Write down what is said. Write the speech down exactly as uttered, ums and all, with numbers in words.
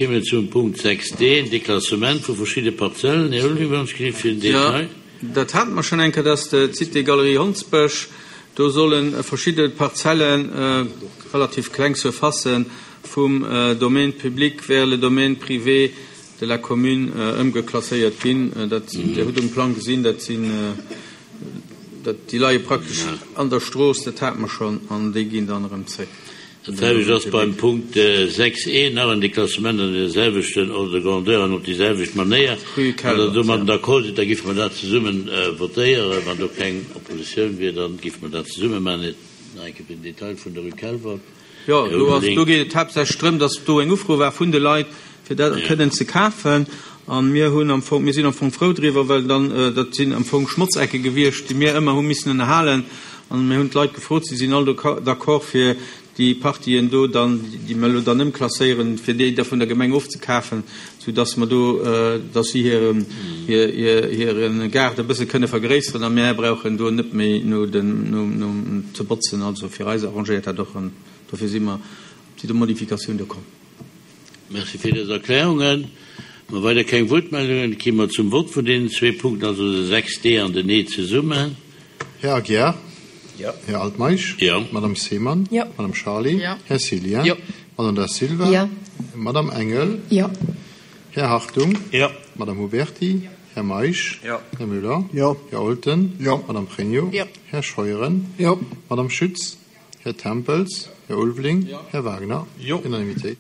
Kéime zum Punkt sechs D, den Deklassement vu verschidde Parzellen. Här Ulveling, wann ech gelift, fir den Detail. Jo, dat hate mer schonn eng Kéier, dass d'Cité Galerie Hondsbësch, do solle verschidde Parzellen, relativ kleng Surfacen, vum Domaine public vers le domaine privé de la commune ëmgeklasséiert ginn. Dat, Dir hutt um Plang gesinn, dat sinn, dat, déi leie praktesch an der Strooss, dat hate mer schonn, an déi ginn dann erëm zréck. Dat selwecht ass beim Punkt sechs e, nach en Deklassement an deene selwechten Ordre de grandeur an op déi selwecht Manéier. Wann Der domadden d'accord sidd, da géife mer dat zesumme votéieren. Wann do keng Oppositioun wier, da géife mer dat zesumme maachen. Nach eng Kéier fir den Detail vun der Rue Kelvert. Jo, do ass, do geet et haaptsächlech drëm, dass do eng Ufro war vun de Leit, fir dat kënnen ze kafen. A mir hunn am Fong, mir sinn am Fong frou driwwer, well dann, dat sinn am Fong Schmotzecke gewiescht, déi mir ëmmer hu missen ënnerhalen. An mir hunn d'Leit gefrot, si sinn all d'accord, fir déi Partien do dann, déi mer elo dann ëmklasséieren, fir déi da vun der Gemeng ofzekafen, soudass mer do, dass si hire, hir, hire Gaart e bësse kënne vergréisseren a mär brauchen do net méi no den, no, no ze botzen. Also fir eis arrangéiert dat och an dofir si mer zu der Modifikatioun do komm. Merci fir dës Erklärungen. Wa weider keng Wuertmeldungen, gi mer zum Vott vun deenen zwee Punkten, also de sechs D an den E zesummen. Här Aguiar? Jo. Här Altmeisch? Jo. Madame Seemann? Jo. Madame Charlé? Jo. Här Cillien? Jo. Madame Da Silva? Jo. Madame Engel? Jo. Här Hartung? Jo. Madame Huberty? Jo. Här Meisch? Jo. Här Müller? Jo. Här Olten? Jo. Madame Pregno? Jo. Här Scheuren? Jo. Madame Schütz? Här Tempels? Här Ulveling? Jo. Här Wagner? Jo. Unanimitéit.